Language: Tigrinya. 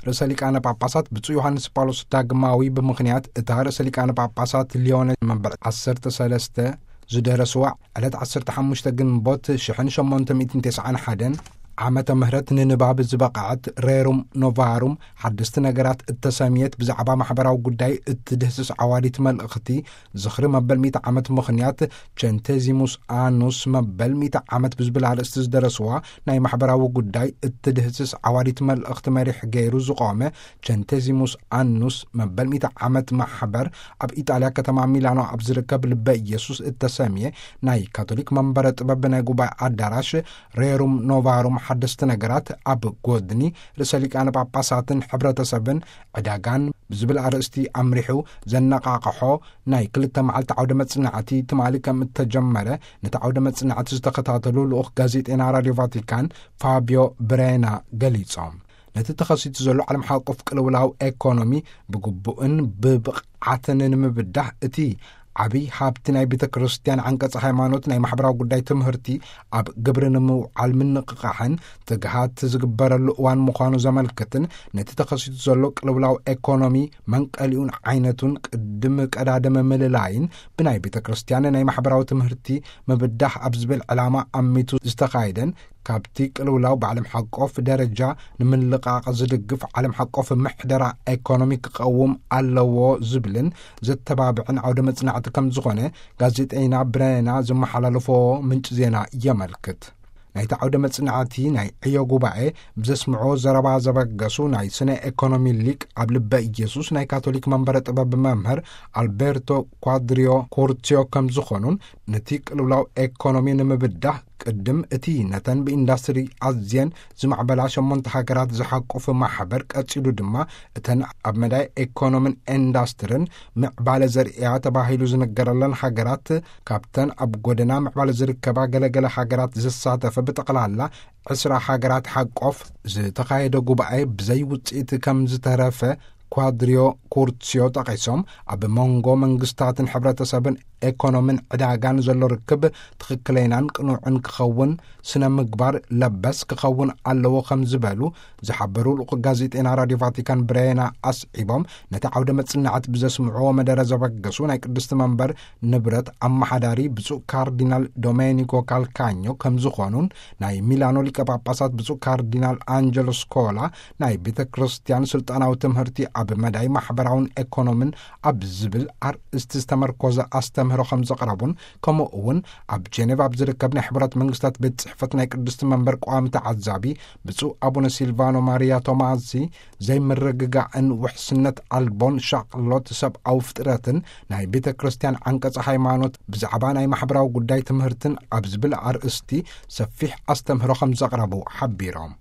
ርእሰ ሊቃነ ጳጳሳት ብፁዕ ዮሃንስ ጳውሎስ ዳግማዊ፣ ብምኽንያት እታ ርእሰ ሊቃነ ጳጳሳት ሊዮን መበል ዓሰርተ ሰለስተ ዝደረስዋ ዕለት ዓሰርተ ሓሙሽተ ግንቦት ሽሕን ሸሞንተ ሚእትን ተስዓን ሓደን ዓመተ ምህረት፣ ንንባብ ዝበቕዐት ሬሩም ኖቫሩም ሓደስቲ ነገራት እተሰምየት ብዛዕባ ማሕበራዊ ጉዳይ እትድህስስ ዓዋዲት መልእኽቲ ዝኽሪ መበል ሚእቲ ዓመት ምኽንያት፣ ቸንቴዚሙስ ኣኑስ መበል ሚእቲ ዓመት ብዝብል ኣርእስቲ ዝደረስዋ ናይ ማሕበራዊ ጉዳይ እትድህስስ ዓዋዲት መልእኽቲ መሪሕ ገይሩ ዝቖመ ቸንቴዚሙስ ኣኑስ መበል ሚእቲ ዓመት ማሕበር፣ ኣብ ኢጣልያ ከተማ ሚላኖ ኣብ ዝርከብ ልበ ኢየሱስ እተሰምየ ናይ ካቶሊክ መንበረ ጥበብ ናይ ጉባኤ ኣዳራሽ ሬሩም ኖቫሩም ሓደስቲ ነገራት ኣብ ጎድኒ ርእሰ ሊቃነ ጳጳሳትን ሕብረተሰብን ዕዳጋን ብዝብል ኣርእስቲ ኣምሪሑ ዘነቓቕሖ ናይ ክልተ መዓልቲ ዓውደ መጽናዕቲ ትማሊ ከም እተጀመረ፣ ነቲ ዓውደ መጽናዕቲ ዝተኸታተሉ ልኡኽ ጋዜጤና ራድዮ ቫቲካን ፋቢዮ ብሬና ገሊጾም። ነቲ ተኸሲቱ ዘሎ ዓለም ሓቆፍ ቅልውላው ኤኮኖሚ ብግቡእን ብብቕዓትን ንምብዳህ፣ እቲ ዓብይ ሃብቲ ናይ ቤተ ክርስቲያን ዓንቀጽ ሃይማኖት፣ ናይ ማሕበራዊ ጉዳይ ትምህርቲ፣ ኣብ ግብሪ ንምውዓል ምንቕቓሕን ትግሃት ዝግበረሉ እዋን ምዃኑ ዘመልክትን፣ ነቲ ተኸሲቱ ዘሎ ቅልውላው ኤኮኖሚ መንቀሊኡን ዓይነቱን ቅድም ቀዳድመ ምልላይን ብናይ ቤተ ክርስቲያን ናይ ማሕበራዊ ትምህርቲ ምብዳህ ኣብ ዝብል ዕላማ ኣሚቱ ዝተኻየደን፣ ካብቲ ቅልውላው ብዓለም ሓቆፍ ደረጃ ንምልቃቕ ዝድግፍ ዓለም ሓቆፍ ምሕደራ ኤኮኖሚ ክቐውም ኣለዎ ዝብልን ዘተባብዕን ዓውደ መጽናዕቲ ከም ዝኾነ ጋዜጠይና ብሬና ዘመሓላለፎ ምንጪ ዜና የመልክት። ናይቲ ዓውደ መጽናዕቲ ናይ ዕዮ ጉባኤ ብዘስምዖ ዘረባ ዘበገሱ ናይ ስነ ኤኮኖሚ ሊቅ፣ ኣብ ልበ ኢየሱስ ናይ ካቶሊክ መንበረ ጥበብ መምህር ኣልቤርቶ ኳድሪዮ ኮርቲዮ ከም ዝኾኑን፣ ነቲ ቅልውላው ኤኮኖሚ ንምብዳህ ቅድም እቲ ነተን ብኢንዳስትሪ ኣዝየን ዝማዕበላ ሸሞንተ ሃገራት ዝሓቁፍ ማሕበር፣ ቀጺሉ ድማ እተን ኣብ መዳይ ኤኮኖምን ኢንዳስትርን ምዕባለ ዘርእያ ተባሂሉ ዝነገረለን ሃገራት፣ ካብተን ኣብ ጎደና ምዕባለ ዝርከባ ገለገለ ሃገራት ዘሳተፈ ብጠቕላላ ዕስራ ሃገራት ሓቆፍ ዝተኻየደ ጉባኤ ብዘይ ውጽኢት ከም ዝተረፈ ኳድሪዮ ኩርትስዮ ጠቒሶም፣ ኣብ መንጎ መንግስታትን ሕብረተሰብን ኤኮኖምን ዕዳጋን ዘሎ ርክብ ትኽክለይናን ቅኑዕን ክኸውን፣ ስነ ምግባር ለበስ ክኸውን ኣለዎ ከም ዝበሉ ዝሓበሩ ልኡኽ ጋዜጠይና ራድዮ ቫቲካን ብሬና ኣስዒቦም፣ ነቲ ዓውደ መጽናዕት ብዘስምዕዎ መደረ ዘበገሱ ናይ ቅድስቲ መንበር ንብረት ኣመሓዳሪ ብፁዕ ካርዲናል ዶሜኒኮ ካልካኞ ከም ዝኾኑን፣ ናይ ሚላኖ ሊቀ ጳጳሳት ብፁዕ ካርዲናል ኣንጀሎ ስኮላ ናይ ቤተ ክርስቲያን ስልጣናዊ ትምህርቲ ኣብ መዳይ ማሕበራውን ኤኮኖምን ኣብ ዝብል ኣርእስቲ ዝተመርኮዘ ኣስተምህሮ ከም ዘቕረቡን፣ ከምኡ እውን ኣብ ጄኔቭ ኣብ ዝርከብ ናይ ሕቡራት መንግስታት ቤት ጽሕፈት ናይ ቅድስቲ መንበር ቋሚ ተዓዛቢ ብፁዕ ኣቡነ ሲልቫኖ ማሪያ ቶማሲ ዘይምርግጋእን ውሕስነት ኣልቦን ሻቕሎት ሰብኣዊ ፍጥረትን ናይ ቤተ ክርስቲያን ዓንቀጸ ሃይማኖት ብዛዕባ ናይ ማሕበራዊ ጉዳይ ትምህርትን ኣብ ዝብል ኣርእስቲ ሰፊሕ ኣስተምህሮ ከም ዘቕረቡ ሓቢሮም።